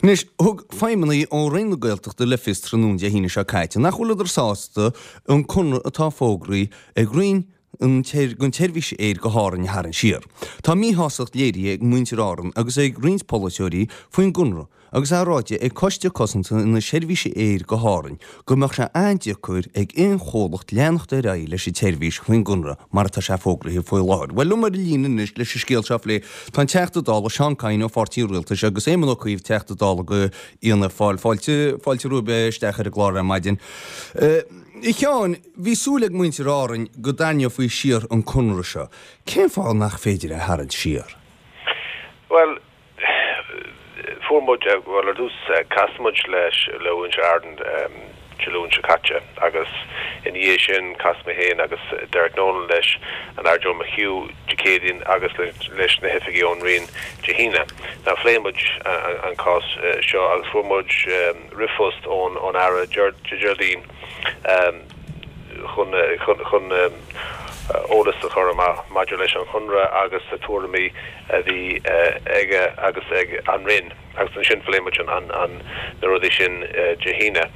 Anois, thug feidhmeannaigh ó Roinn na Gaeltachta le fios tráthnóna Dé hAoine seo caite nach bhfuileadar sásta an conradh atá fógraithe ag Roinn an don tseirbhís aeir go hÁrainn a tharraingt siar. Tá míshástacht léirithe ag muintir Árann agus ag roinnt polaiteoirí faoin gconradh agus é ráite ag Coiste Cosanta na Seirbhíse Aeir go hÁrainn go mbeadh sé an-deacair ag aon chomhlacht leanacht ar aghaidh leis an tseirbhís faoin gconradh mar atá sé fógraithe faoi láthair. Bhuel, liom ar an líne anois leis an scéal seo a phlé tá an Teachta Dála Seán Kyne ó Pháirtí an Rialtais agus Éamon Ó Cuív, Teachta Dála do Fhianna Fáil. Fáilte, fáilte romhaibh isteach ar an gclár ar maidin. A Sheáin, bhí súil ag muintir Árainn go dtarraingeofaí siar an conradh seo. Cén fáth nach féidir é a tharraingt siar? Bhuel, fuair muid, bhuel ar dtús chas muid leis, le muintir Árann Dé Luain seo caite agus ina dhiaidh sin chas mé féin agus Derek Nolan leis an Aire Joe McHugh Dé Céadaoin agus leis na hoifigigh ón Roinn Dé hAoine. Now phléigh muid an cás seo agus fuair muid ríomhphost ón Aire Dé Déardaoin chun chun eolas a chur amach maidir leis an chonradh agus na tuairimí a bhí aige agus ag an Roinn agus ansin phléigh muid an na rudaí sin Dé hAoine.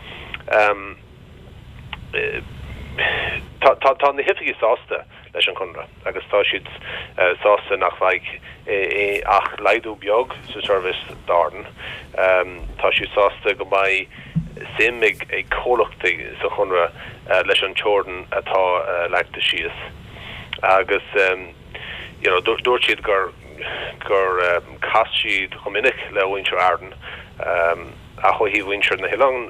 Tá tá na hoifigigh sásta leis an chonradh agus tá siad sásta nach mbeidh ach laghdú beag sa seirbhís d'Árainn. Tá siad sásta go mbeidh suim ag comhlachtaí sa chonradh leis an teorainn atá leagtha síos agus you know dúirt siad gur gur chas siad chomh minic le muintir Árann ach ó thaobh mhuintir na hoileán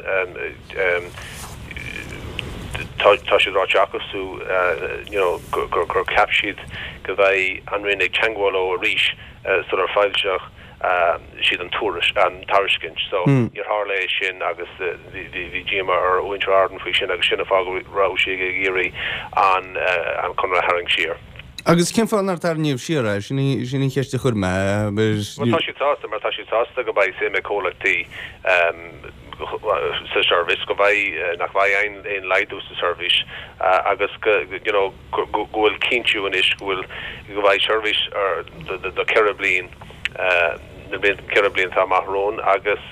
tá tá siad ráite acu you know gur gur cheap siad go mbeidh an Roinn ag teagmháil leo arís sular foilsíodh siad an tuairisc, an tairiscint. So níor tharla é sin agus bhí díomá ar mhuintir Árann faoi sin agus sin an fáth go raibh siad ag iarraidh an an conradh a tharraingt siar. Agus cén fáth nár tarraingíodh siar é? Sin í sin an cheist a chuir mé. Bhuel tá siad sásta mar tá siad sásta go mbeidh suim ag comhlachtaí sa seirbhís, go mbeidh, nach mbeidh aon aon laghdú sa seirbhís agus go you know go bhfuil cinntiú anois go bhfuil go mbeidh seirbhís do 4 bliain, na blianta, 4 bliain atá amach romhainn agus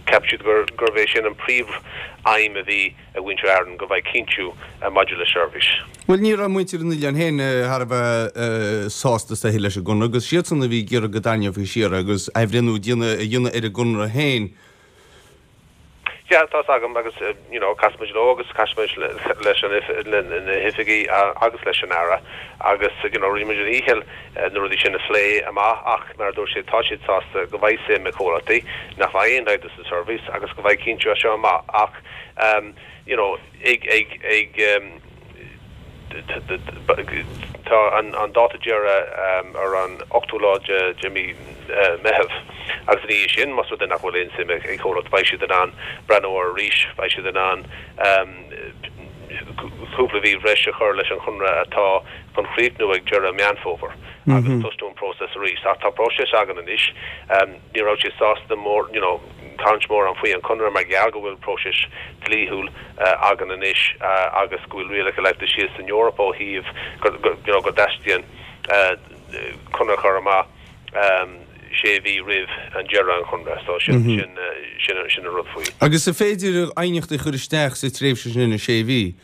cheap siad gurbh é sin an príomh aidhm a bhí ag muintir Árann, go mbeidh cinntiú maidir le seirbhís. Bhuel ní raibh muintir an oileáin féin thar a bheith sásta is dóiche leis an gconradh agus siadsan a bhí ag iarraidh go dtarraingeofaí siar é agus athbhreithniú a dhéanamh ar an gconradh féin. Yeah, tá's agam agus you know chas muid leo agus chas muid leis an na hoifigigh agus leis an Aire agus you know rinne muid ár ndícheall na rudaí sin a phlé amach ach mar a dúirt siad tá siad sásta go mbeidh suim ag comhlachtaí, nach mbeidh aon laghdú sa seirbhís agus go mbeidh cinntiú as seo amach ach you know ag ag ag Tá an dáta deiridh ar an ochtú lá de mhí Meitheamh agus ina dhiaidh sin, más rud é nach bhfuil aon suim ag comhlacht, beidh siad in ann breathnú air arís, beidh siad in ann cúpla mhí bhreis a chur leis an chonradh atá chun críochnú ag deireadh Meán Fómhair agus tosnú an próiseas arís. Ach tá próiseas againn anois. Ní raibh siad sásta mór, you know, caint mórán faoi an conradh mar gheall go bhfuil próiseas dlíthiúil againn anois agus go bhfuil rialacha leagtha síos san Eoraip ó thaobh go, you know, go dteastaíonn conradh a chur amach sé mhí roimh an deireadh an chonradh. So sin, sin, sin, sin an rud faoi. Agus an féidir aighneachtaí a chur isteach sa tréimhse sin, na sé mhí?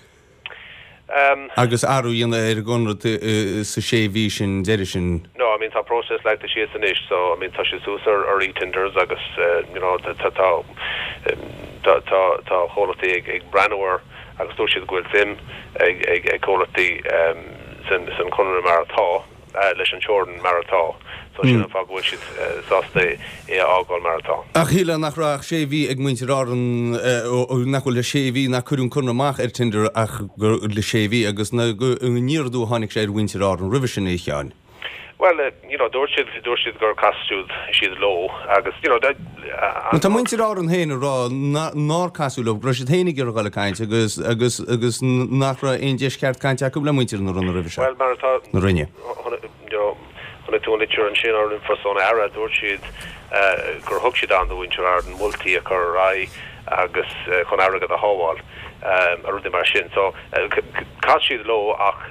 Agus athrú a dhéanamh ar an gconradh sa sé mhí sin deiridh sin. No, I mean tá próiseas leagtha síos anois so I mean tá sé suas ar ar eTenders agus you know tá tá tá tá tá comhlachtaí ag ag breathnú air agus dúirt siad go bhfuil suim ag ag ag comhlachtaí san san chonradh mar atá. leis an teorainn mar atá. So sin an fáth go bhfuil siad sásta é a fhágáil mar atá. Ach shílfeá nach raibh ach sé mhí ag muintir Árann, nach bhfuil le sé mhí, nach cuireadh an conradh amach ar tender ach le sé mhí agus gur aniar aduaidh a tháinig sé ar mhuintir Árann roimhe sin, a Sheáin. Bhuel, you know, dúirt siad, dúirt siad gur chas siad, siad leo agus, you know, Bhuel, tá muintir Árann féin ag rá nár casadh leo, go raibh siad féin ag iarraidh dul ag caint agus, agus, agus nach raibh aon deis cheart cainte acu le muintir na Ranna roimhe seo. Bhuel, mar atá, na Roinne. you know, chonaic tú an litir ansin ar an ríomhphost ón Aire, dúirt siad gur thug siad am do mhuintir Árann moltaí a chur ar aghaidh agus chun airgead a shábháil, rudaí mar sin. So, chas siad leo ach.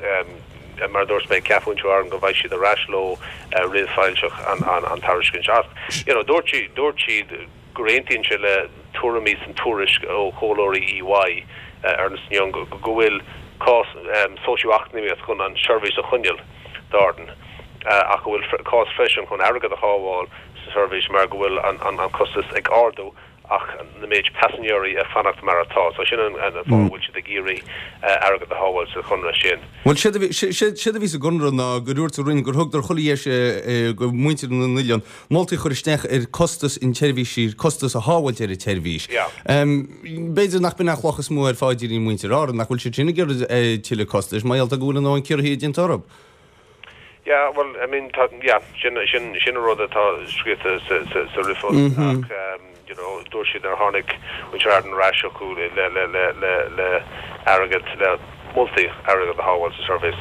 mar a dúirt mé, ceapann muintir Árann go mbeidh siad ar ais leo roimh foilseach an tairiscint. Ach, you know, dúirt siad, dúirt siad gur aontaíonn siad le tuairimí san tuairisc ó chomhairleoirí EY, Ernst Young, go bhfuil cás socio-eacnamaíoch chun an seirbhís a choinneáil d'Árainn ach go bhfuil cás freisin chun airgead a shábháil sa seirbhís mar go bhfuil an costas ag ardú ach na méid paisinéirí ag fanacht mar atá. So sin an fáth a bhfuil siad ag iarraidh airgead a shábháil sa chonradh sin. Bhuel, séard a bhí, séard a bhí sa gconradh ná gur dhúirt an Roinn gur thugadar chuile dheis go muintir na n-oileán moltaí a chur isteach ar costas an tseirbhísí, costas a shábháilt ar an tseirbhís. B'fhéidir nach b'in an chloch is mó ar phaidrín muintir Árann, nach bhfuil siad sin ag iarraidh tuilleadh costais, mar gheall go bhfuil a ndóthain ciorruithe déanta orthu. Yeah, well, I mean, tá, yeah, sin, sin, sin an rud atá scríofa sa, sa, sa ríomhphost ach, you know, dúirt siad nár tháinig muintir Árann ar ais chucu le, le, le, le, le airgead, le moltaí airgead a shábháil sa seirbhís.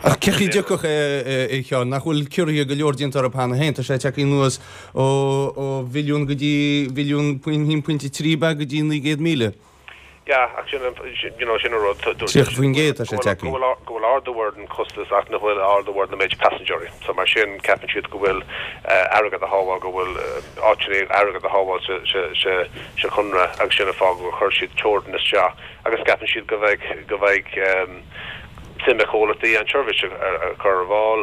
Ach cén chaoi a dtiocfadh é, a Sheáin, nach bhfuil ciorruithe go leor déanta orthu cheana féin? Tá sé tagtha anuas ó, ó mhilliún go dtí mhilliún, 1.3 ab ea go dtí 900,000. Yeah, ach sin an, you know, sin an rud, dúirt 30% tá sé tagtha. go bhfuil, go bhfuil ardú ar an costas ach nach bhfuil ardú ar na méid paisinéirí. So mar sin ceapann siad go bhfuil airgead a shábháil, go bhfuil áiteanna airgead a shábháil sa, sa, sa, sa chonradh agus sin an fáth gur chuir siad teorainn isteach agus ceapann siad go mbeidh, go mbeidh suim ag comhlachtaí an tseirbhís a chur ar fáil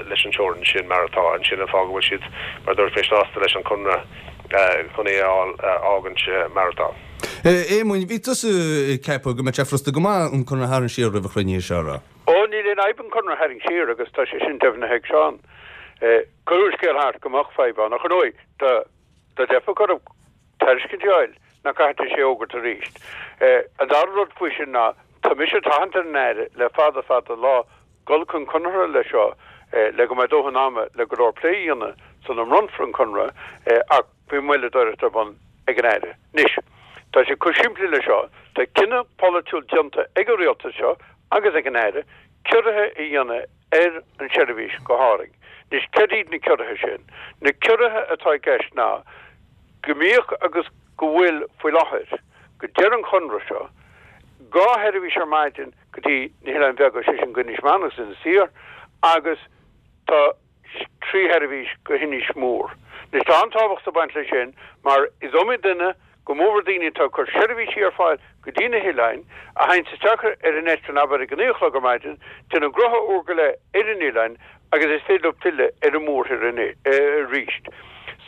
leis an teorainn sin mar atá. And sin an fáth go bhfuil siad, mar a dúirt mé, sásta leis an chonradh chun é a fháil, a fhágaint mar atá. A Éamoinn, bhí tusa ag ceapadh go mbeadh sé furasta go maith an conradh a tharraingt siar roimh an chruinniú seo, raibh? Ó, níl aon fhadhb an conradh a tharraingt siar agus tá sé sin deimhnithe ag Seán. Cuireadh an scéal thart go mbeadh fadhb ann, ach ar ndóigh, dá dteipfeadh orthu tairiscint a fháil, nach gcaithfidís é a fhógairt arís. An dara rud faoi sin ná, tá mise ag tathant ar an Aire le fada fada an lá dul chun conartha leis seo le go mbeidh dóthain ama le go leor plé a dhéanamh sula mbronnfar an conradh ach bhí moilleadóireacht ar bun ag an Aire. Anois, tá sé chomh simplí le seo, tá cinneadh polaitiúil déanta ag an Rialtas seo agus ag an Aire ciorruithe a dhéanamh ar an tseirbhís go hÁrainn. Anois, céard iad na ciorruithe sin? Na ciorruithe atá i gceist ná go mbíodh agus go bhfuil faoi láthair, go deireadh an chonradh seo, 2 sheirbhís ar maidin go dtí na hOileáin Bheaga, sé sin go Inis Meáin agus Inis Oírr, agus tá 3 sheirbhís go hInis Mór. Anois tá an-tábhacht ag baint leis sin mar is iomaí duine, go mórmhór daoine atá ag cur seirbhísí ar fáil go dtí na hoileáin, a théanns isteach ar an eitleán abair ag a 9 a chlog ar maidin, déanamh gnótha uair go leith ar an oileán agus is féidir leo filleadh ar an mórthír arís.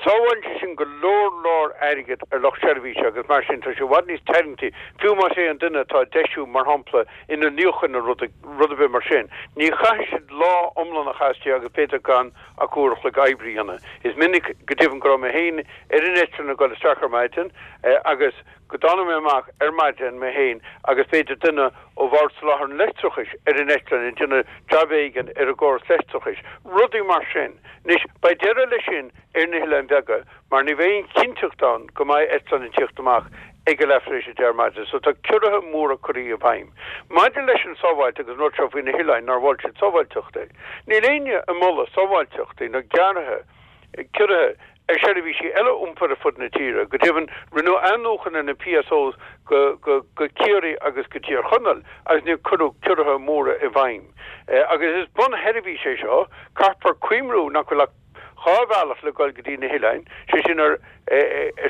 Sábhálann sé sin go leor leor airgid ar lucht seirbhíse agus mar sin tá sé i bhfad níos tarraingtí, fiú más é an duine atá ag deisiú, mar shampla, inneall níocháin nó rud rud ar bith mar sin. Ní chaithfidh siad lá iomlán a chaitheamh istigh agus b'fhéidir gan ach uair a chloig oibre a dhéanamh. Is minic, go deimhin, go raibh mé féin ar an eitleán ag dul isteach ar maidin agus go dtáinig mé amach ar maidin mé féin agus b'fhéidir duine ó Bhord Soláthair an Leictreachais ar an eitleán ag déanamh jab éigin ar an gcóras leictreachais, rudaí mar sin. Anois, beidh deireadh leis sin ar na hOileáin Bheaga mar ní bheidh aon chinnteacht ann go mbeidh eitleán ag tíocht amach ag a leath tar éis a 10 ar maidin so tá ciorruithe móra curtha i bhfeidhm. Maidir leis an sábháilteacht agus an rud seo faoi na hoileáin nár mhol siad sábháilteachtaí, níl éinne ag moladh sábháilteachtaí nó gearrtha, ciorruithe ar sheirbhísí eile iompair ar fud na tíre. Go deimhin, rinneadh athnuachan ar na PSOs go go Ciarraí agus go Tír Chonaill agus níor cuireadh ciorruithe móra i bhfeidhm. Agus is bunsheirbhís é seo, caithfear cuimhniú nach bhfuil ach 2 bhealach le dul go dtí na hoileáin, sé sin ar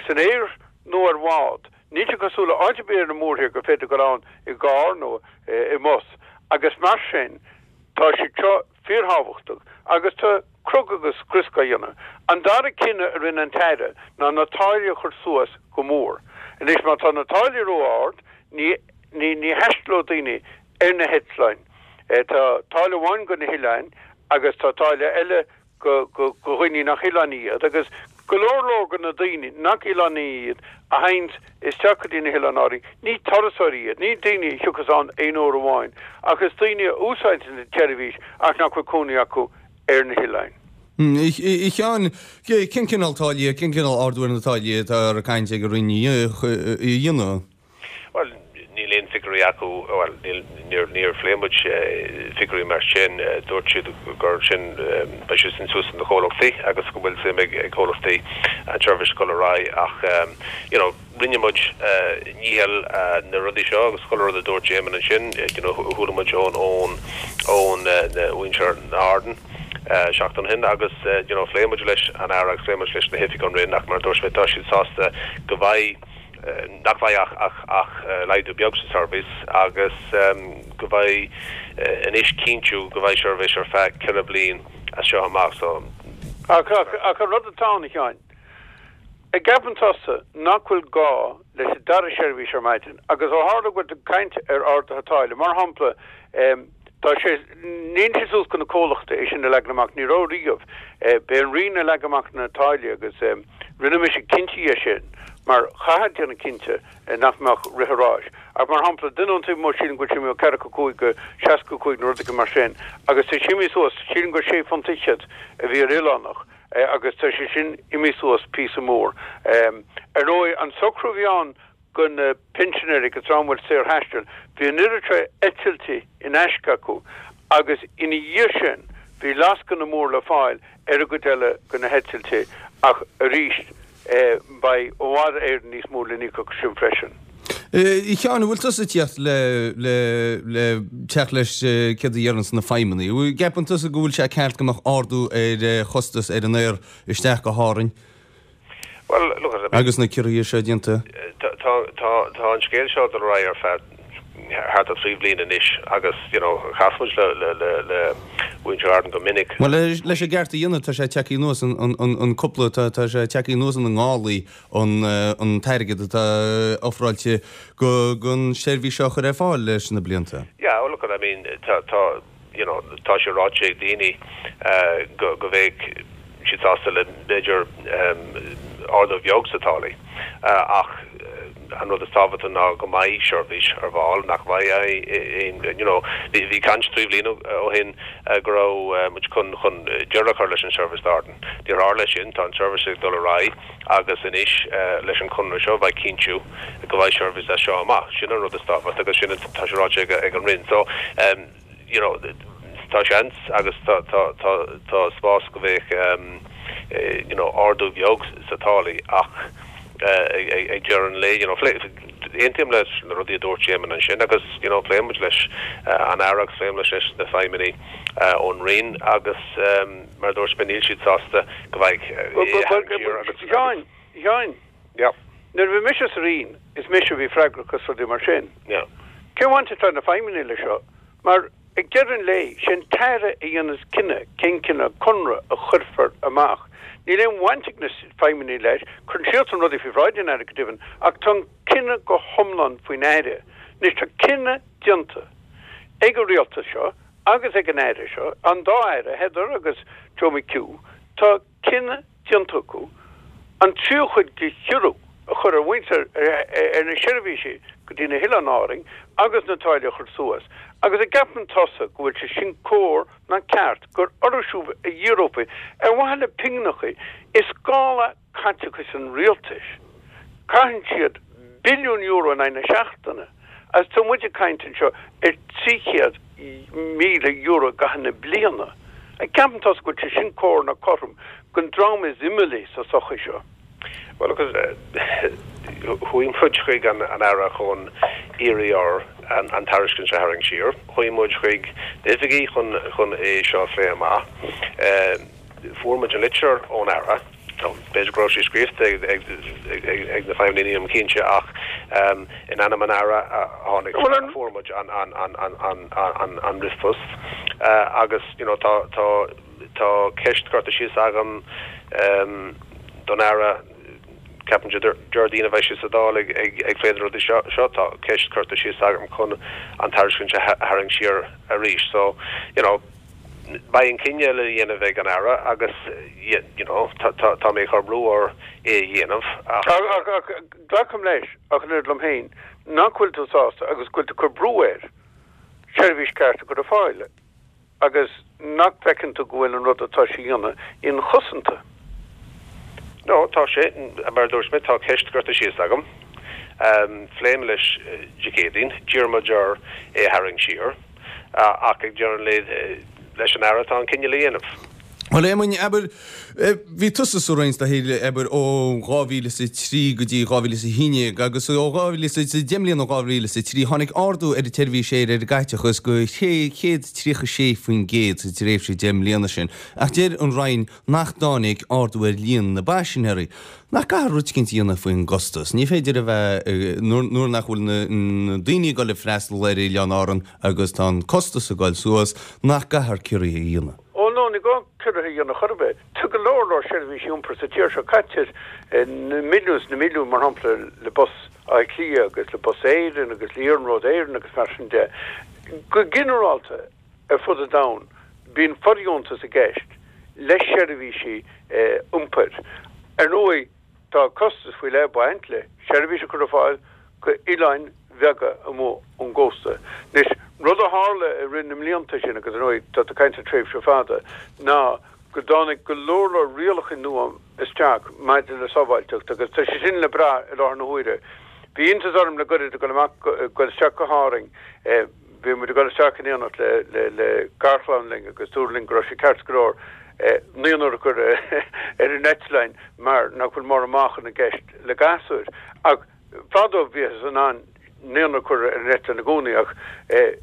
san aer nó ar bhád. Níl sé cosúil le áit ar bith ar an mórthír gur féidir dul ann i gcarr nó i mbus agus mar sin tá siad seo fíorthábhachtach agus tá crog agus scrios á dhéanamh. An dara cinneadh a rinne an tAire ná na táillí a chur suas go mór. Anois má tá na táillí ró-ard ní ní ní thaistealóidh daoine ar na heitleáin. Tá táille amháin go na hoileáin agus tá táille eile go go go dhaoine nach oileánaigh iad agus go leor leor de na daoine nach oileánaigh iad a théanns isteach go dtí na hOileáin Árainn, ní turasóirí iad, ní daoine a thiocfas ann aon uair amháin, ach is daoine a úsáideann an tseirbhís ach nach bhfuil cónaí acu ar na hoileáin. A Sheáin, cén cineál táillí, cén cineál ardú ar na táillí atá ar caint ag an Roinn a dhéanamh? Bhuel, níl aon figiúirí. figiúirí acu, bhuel, níl, níor, níor phléigh muid figiúirí mar sin. Dúirt siad gur sin, beidh sé sin suas do na comhlachtaí agus go bhfuil suim ag comhlachtaí an tseirbhís a dhul ar aghaidh ach, you know, rinne muid dícheall na rudaí seo agus chuile rud a dúirt Éamon ansin, you know, chuala muid ón, ón, ón mhuintir na hArdan seachtain ó shin agus, you know, phléigh muid leis an Aire agus phléigh muid leis na hoifigigh ón Roinn ach mar a dúirt mé, tá siad sásta go mbeidh, nach mbeidh ach ach laghdú beag sa seirbhís agus go mbeidh anois cinntiú go mbeidh seirbhís ar feadh 4 bliain as seo amach so. Ach an rud atá ann, a Sheáin, an gceapann tusa nach bhfuil gá leis an dara seirbhís ar maidin agus ó tharla go bhfuil tú ag caint ar arduithe táille, mar shampla, tá sé, níl sé suas go na comhlachtaí é sin a leagan amach, ní raibh riamh, b'é an Roinn a leag amach na táillí agus rinne mise cinnte dhe sin mar chaithfeá déanamh cinnte nach mbeadh rith an ráis. Ach mar shampla, duine ón taobh amuigh sílim go bhfuil sé imithe ó ceathracha 5 go 65 nó rud éigin mar sin agus tá sé imithe suas, sílim gur sé phunt fhichead a bhí ar oileánach agus tá sé sin imithe suas píosa mór. Ar ndóigh, an socrú a bhí ann go na pinsinéirí agus dream a bhfuil saorthaisteal, bhí an oiread seo eitiltí in aisce acu agus ina dhiaidh sin bhí lascaine mór le fáil ar an gcuid eile de na heitiltí ach arís beidh i bhfad Éireann níos mó le n-íoc acu sin freisin. A Sheáin, an bhfuil tusa ag tíocht le le le teacht leis céard a deireanns na feidhmeannaigh? An gceapann tusa go bhfuil sé ceart go mbeadh ardú ar chostas ar an aer isteach go hÁrainn? Bhuel, look, I mean. Agus na ciorruithe seo déanta. Tá, tá, tá an scéal seo ag dul ar aghaidh ar feadh thart ar 3 bhliain anois agus, you know, chas muid le, le, le, le muintir Árann go minic. Bhuel, leis an gceart a dhéanamh, tá sé tagtha anuas an, an, an, an cúpla, tá, tá sé tagtha anuas ina ngálaí an, an t-airgead atá ofráilte go, gon seirbhís seo a chur ar fáil leis na blianta. Yeah, well, look, I mean, tá, tá, you know, tá sé ráite ag daoine go go mbeadh siad sásta le b'fhéidir ardú bheag sa táillí ach an rud is tábhachtaí ná go mbeidh seirbhís ar fáil, nach mbeidh aon, you know, bhí bhí caint 3 bhliain ó shin go raibh muid chun chun deireadh a chur leis an seirbhís d'Árainn. Níor tharla sin, tá an seirbhís ag dul ar aghaidh agus anois leis an chonradh seo beidh cinntiú go mbeidh seirbhís as seo amach. Sin an rud is tábhachtaí agus sin tá sé ráite ag an Roinn. So, you know, tá seans agus tá, tá, tá, tá spás go mbeadh, you know, ardú beag sa táillí ach ag deireadh an lae, you know, aontaím leis na rudaí a dúirt Éamon ansin agus, you know, pléann muid leis an Aire agus pléann muid leis na feidhmeannaigh ón Roinn agus mar a dúirt mé, níl siad sásta go mbeidh agus. Sheáin, Sheáin. Yeah. Nuair a bhí mise sa Roinn, is mise a bhí freagrach as rudaí mar sin. Yeah. Cén bhaint atá ag na feidhmeannaigh leis seo? Mar ag deireadh an lae, sé an tAire a dhéanas cinneadh cén cineál conradh a chuirfear amach. Níl aon bhaint ag na feidhmeannaigh leis, cuireann siadsan rudaí faoi bhráid an Aire go deimhin, ach tá an cinneadh go hiomlán faoin Aire. Anois tá cinneadh déanta ag an Rialtas seo agus ag an Aire seo, an dá Aire, Heather agus Joe McHugh, tá cinneadh déanta acu an tríú cuid de chiorrú a chur ar mhuintir ar na seirbhísí go dtí na hOileáin Árainn agus na táillí a chur suas. Agus an gceapann tusa go bhfuil sé sin cóir ná ceart gur orthu siúd a dhíreofaí ar mhaithe le pingneachaí i scála caiteachais an rialtais? Caitheann siad billiún euro in aghaidh na seachtaine agus tá muid ag caint anseo ar €300,000 i gcaitheamh na bliana. An gceapann tusa go bhfuil sé sin cóir ná cothrom don dream is imeallaí sa tsochaí seo? Bhuel, look, chuaigh muid chuig an Aire chun iarraidh air an tairiscint a tharraingt siar. Chuaigh muid chuig na hoifigigh chun é seo a phlé amach. Fuair muid an litir ón Aire. B'fhéidir go raibh sé scríofa ag na feidhmeannaigh, nílim cinnte, ach in ainm an Aire a tháinig, a fuair muid an ríomhphost agus you know tá tá tá ceist curtha síos agam don Aire, ceapaim Déardaoin a bheidh sé sa Dáil ag plé na rudaí seo, tá ceist curtha síos agam chun an tairiscint a tharraingt siar arís. So, you know. Beidh an cinneadh le dhéanamh ag an Aire agus you know tá mé ag cur brú air é a dhéanamh ach. Ach glacaim leis, ach an oiread liom féin, nach bhfuil tú sásta agus go bhfuil tú ag cur brú air seirbhís ceart a chur ar fáil agus nach bhfeiceann tú go bhfuil an rud atá sé a dhéanamh inchosanta. No, tá sé, mar a dúirt mé, tá ceist curtha síos agam. Phléigh mé leis Dé Céadaoin, d'iarr muid air é a tharraingt siar, ach ag deireadh an lae leis an Aire atá an cinneadh le dhéanamh. Bhuel, Éamoinn, abair, bhí tusa sa Roinn do shaoil, abair, ó 2003 go dtí 2011 agus ó 2000, 10 mbliana ó 2003, tháinig ardú ar an tseirbhís aeir ar an gcaiteachas go 636% sa tréimhse 10 mbliana sin. Ach deir an Roinn nach dtáinig ardú ar líon na bpaisinéirí. Nach gcaithfear rud eicínt a dhéanamh faoin gcostas? Ní féidir a bheith, nuair nach bhfuil na daoine ag dul ag freastal ar Oileáin Árann agus tá an costas ag dul suas, nach gcaithfear ciorruithe a dhéanamh? Ó no, ní gá ciorruithe a dhéanamh chor ar bith. Tá go leor leor seirbhísí iompair sa tír seo. Caitear na milliúin is na milliúin, mar shampla, le Bus Átha Cliath agus le Bus Éireann agus le Iarnród Éireann agus mar sin de. Go ginearálta, ar fud an domhain, bíonn fordheontas i gceist le seirbhísí iompair. Ar ndóigh, Tá costas faoi leith ag baint le seirbhís a chur ar fáil go oileáin bheaga amuigh ón gcósta. Anois, rud a tharla i rith na mblianta sin, agus ar ndóigh tá tú ag caint ar tréimhse fada, ná go dtáinig go leor leor rialacha nua isteach maidir le sábháilteacht agus tá sé sin le brath i láthair na huaire. Bhí iontas orm le goirid ag dul amach, ag dul isteach go hÁrainn, Bhí muid ag dul isteach in éineacht le le garchlann linn agus dúradh linn go raibh sé ceart go leor naonúr a chur ar an eitleán mar nach bhfuil mórán meáchan i gceist le gasúir. Ach fadó bhíothas in ann naonúr a chur ar an eitleán i gcónaí ach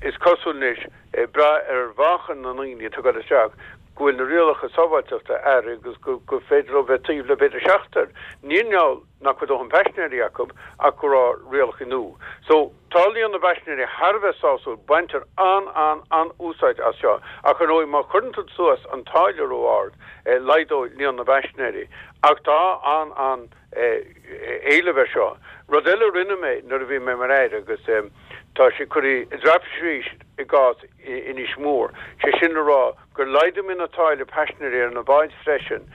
is cosúil anois, ag brath ar mheáchan na ndaoine atá ag dul isteach, go bhfuil na rialacha sábháilteachta athraithe agus gur féidir leo bheith taobh le b'fhéidir seachtar. Ní i ngeall nach bhfuil dóthain paisinéirí acu ach go raibh rialacha nua. So, tá líon na bpaisinéirí thar a bheith sásúil, baintear an-an-an-úsáid as seo ach ar ndóigh má chuireann tú suas an táille ró-ard, laghdóidh líon na bpaisinéirí. Ach tá an-an éileamh ar seo. Rud eile a rinne mé nuair a bhí mé mar Aire agus tá sé curtha i dtraipisí arís i gcás Inis Mór, sé sin le rá gur laghdaigh mé na táille paisinéirí ar na báid freisin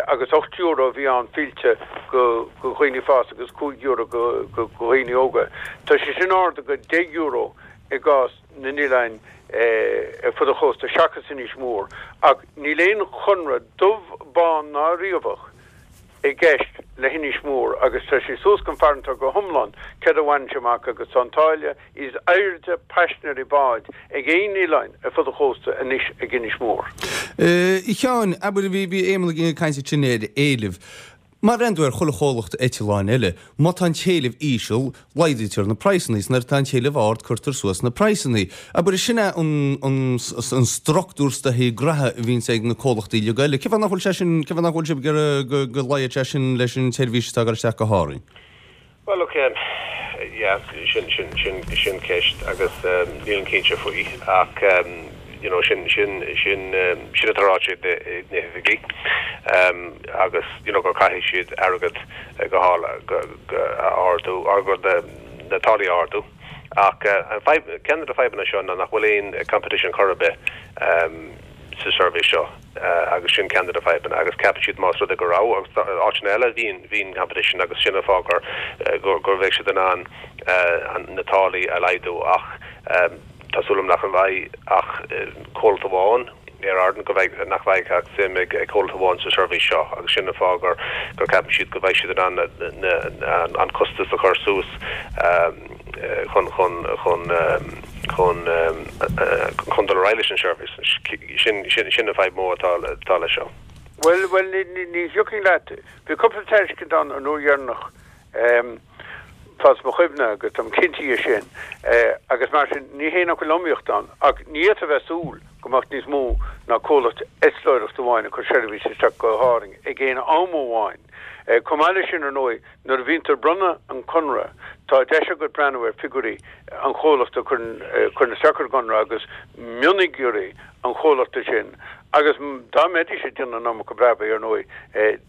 agus €8 a bhí ann fillte go dhaoine fásta agus €5 go dhaoine óga. Tá sé sin ardaithe go €10 i gcás na n-oileáin ar fud an chósta seachas Inis Mór ach níl aon chonradh dubh, bán ná riabhach i gceist le hInis Mór agus tá sé suas don farantóir go hiomlán céard a bhaineann sé amach agus tá an táille is airde paisinéirí báid ag aon oileán ar fud an chósta anois ag Inis Mór. A Sheáin, abair, bhí bhí Éamonn ag caint ansin ar éileamh. Mar ar ndóigh ar chuile chomhlacht eitleáin eile, má tá an t-éileamh íseal, laghdaítear na praghsanna, is nuair atá an t-éileamh ard, cuirtear suas na praghsanna. Abair, sin é an an an structúr is dóichí graithe a bhíonns ag na comhlachtaí uilig eile. Cén fáth nach bhfuil sé sin, cén fáth nach bhfuil sibh ag iarraidh go go laghad sé sin leis an tseirbhís atá ag dul isteach go hÁrainn? Bhuel, ok, yeah, sin, sin, sin, sin ceist agus nílim cinnte faoi ach you know sin, sin, sin, sin atá ráite ag na, ag na hoifigigh agus you know gur caithfidh siad airgead go hál, go, go, a ardú, or go na, na táillí a ardú ach an fadhb, ceann de na fadhbanna seo ná nach bhfuil aon competition chor ar bith sa seirbhís seo. agus sin ceann de na fadhbanna agus ceapann siad más rud é go raibh, agus áiteanna eile bhíonn, bhíonn competition agus sin an fáth gur, gur, gur bheadh siad in ann na táillí a laghdú ach tá súil agam nach mbeidh ach comhlacht amháin, Aer Arann, go mbeidh, nach mbeidh ach suim ag comhlacht amháin sa seirbhís seo agus sin an fáth gur, gur ceapann siad go mbeidh siad in ann na, na, an costas a chur suas chun, chun, chun. chun chun dul ar aghaidh leis an seirbhís. Sin sin sin an fadhb mhór atá atá leis seo. Bhuel, bhuel, ní ní ní thiocfainn leat. Bhí cúpla tairiscint ann an uair dheireanach, fad is mo chuimhne, agus táim cinnte dhe sin, agus mar sin, ní hé nach bhfuil iomaíocht ann, ach ní fhéadfá a bheith ag súil go mbeadh níos mó ná comhlacht eitleoireachta amháin ag cur seirbhís isteach go hÁrainn ag aon am amháin. Chomh maith leis sin, ar ndóigh, Nuair a bhíonn tú ag bronnadh an conradh, tá deis agat breathnú ar figiúirí an chomhlachta a chuireann isteach ar an gconradh agus mionfhigiúirí an chomhlachta sin agus dá mbeidís ag déanamh an iomarca brabaigh, ar ndóigh,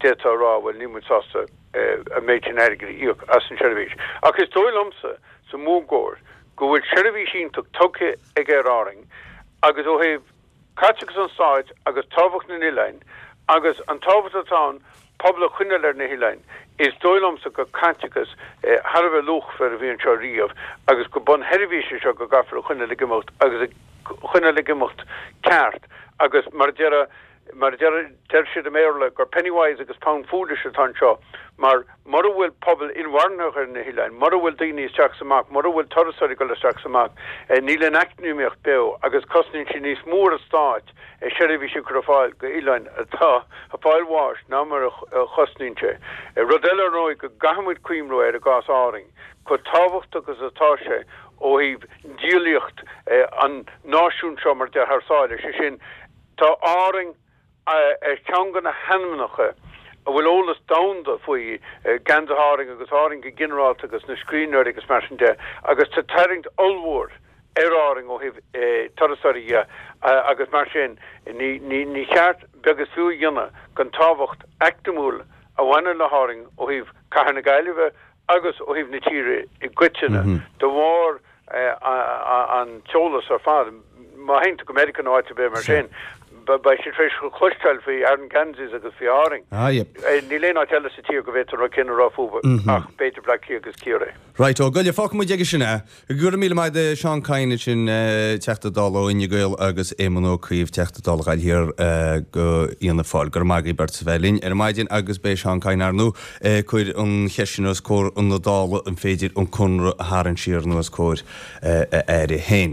d'fhéadfá a rá, bhuel, níl muid sásta an méid sin airgid a íoc as an seirbhís. Ach is dóigh liomsa, sa mhórgóir, go bhfuil seirbhís iontach tugtha ag Aer Árainn agus ó thaobh Caiteachas an stáit agus tábhacht na n-oileáin agus an tábhacht atá ann pobal a choinneáil ar na hoileáin, is dóigh liomsa gur caiteachas thar a bheith luachmhar a bhí anseo riamh agus gur bunsheirbhís é seo go gcaithfear a choinneáil ag imeacht agus a choinneáil ag imeacht ceart agus mar a deir mar a deir deir siad i mBéarla gur penny wise agus pound foolish atá anseo mar mura bhfuil pobal. inmharthanacht ar na hoileáin. Mura bhfuil daoine isteach is amach, mura bhfuil turasóirí ag dul isteach is amach, níl an eacnamaíocht beo agus cosnaíonn sé níos mó ar an stát seirbhísí a chur ar fáil go oileáin atá ag fáil bháis ná mar a chosnaíonn sé. Rud eile ar ndóigh go gcaithfidh muid cuimhniú air i gcás Árainn, chomh tábhachtach is atá sé ó thaobh díolaíocht an náisiúin seo mar a déarfá thar sáile, sé sin, tá Árainn ar cheann de na hainmneacha a bhfuil eolas domhanda faoi, Geansaithe Árainn agus Árainn go ginearálta agus na scríbhneoirí agus mar sin de, agus tá tarraingt ollmhór ar Árainn ó thaobh turasóirí dhe agus mar sin ní cheart beag is fiú a dhéanamh den tábhacht eacnamúil a bhaineann le hÁrainn ó thaobh cathair na Gaillimhe agus ó thaobh na tíre i gcoitinne de bharr an t-eolas ar fad. Má théann tú go Meiriceá nó áit ar bith mar sin, beidh siad tar éis cloisteáil faoi Aran Ganseys agus faoi Árainn. Níl aon áit eile sa tír go bhféadfá an rud céanna a rá fúthu ach b'fhéidir Bleá Cliath agus Ciarraí. Right, ó Goille, fágfaidh muid aige sin é. Go raibh míle maith agat Seán Kyne ansin, Teachta Dála ó Fhine Gael agus Éamon Ó Cuív, Teachta Dála Ghaillimh Thiar go Fhianna Fáil. Go raibh maith agaibh beirt as a bheith linn ar maidin agus beidh Seán Kyne ar ndóigh ag cur an cheist sin os comhair na Dála an féidir an conradh a tharraingt siar nó os comhair a aire féin.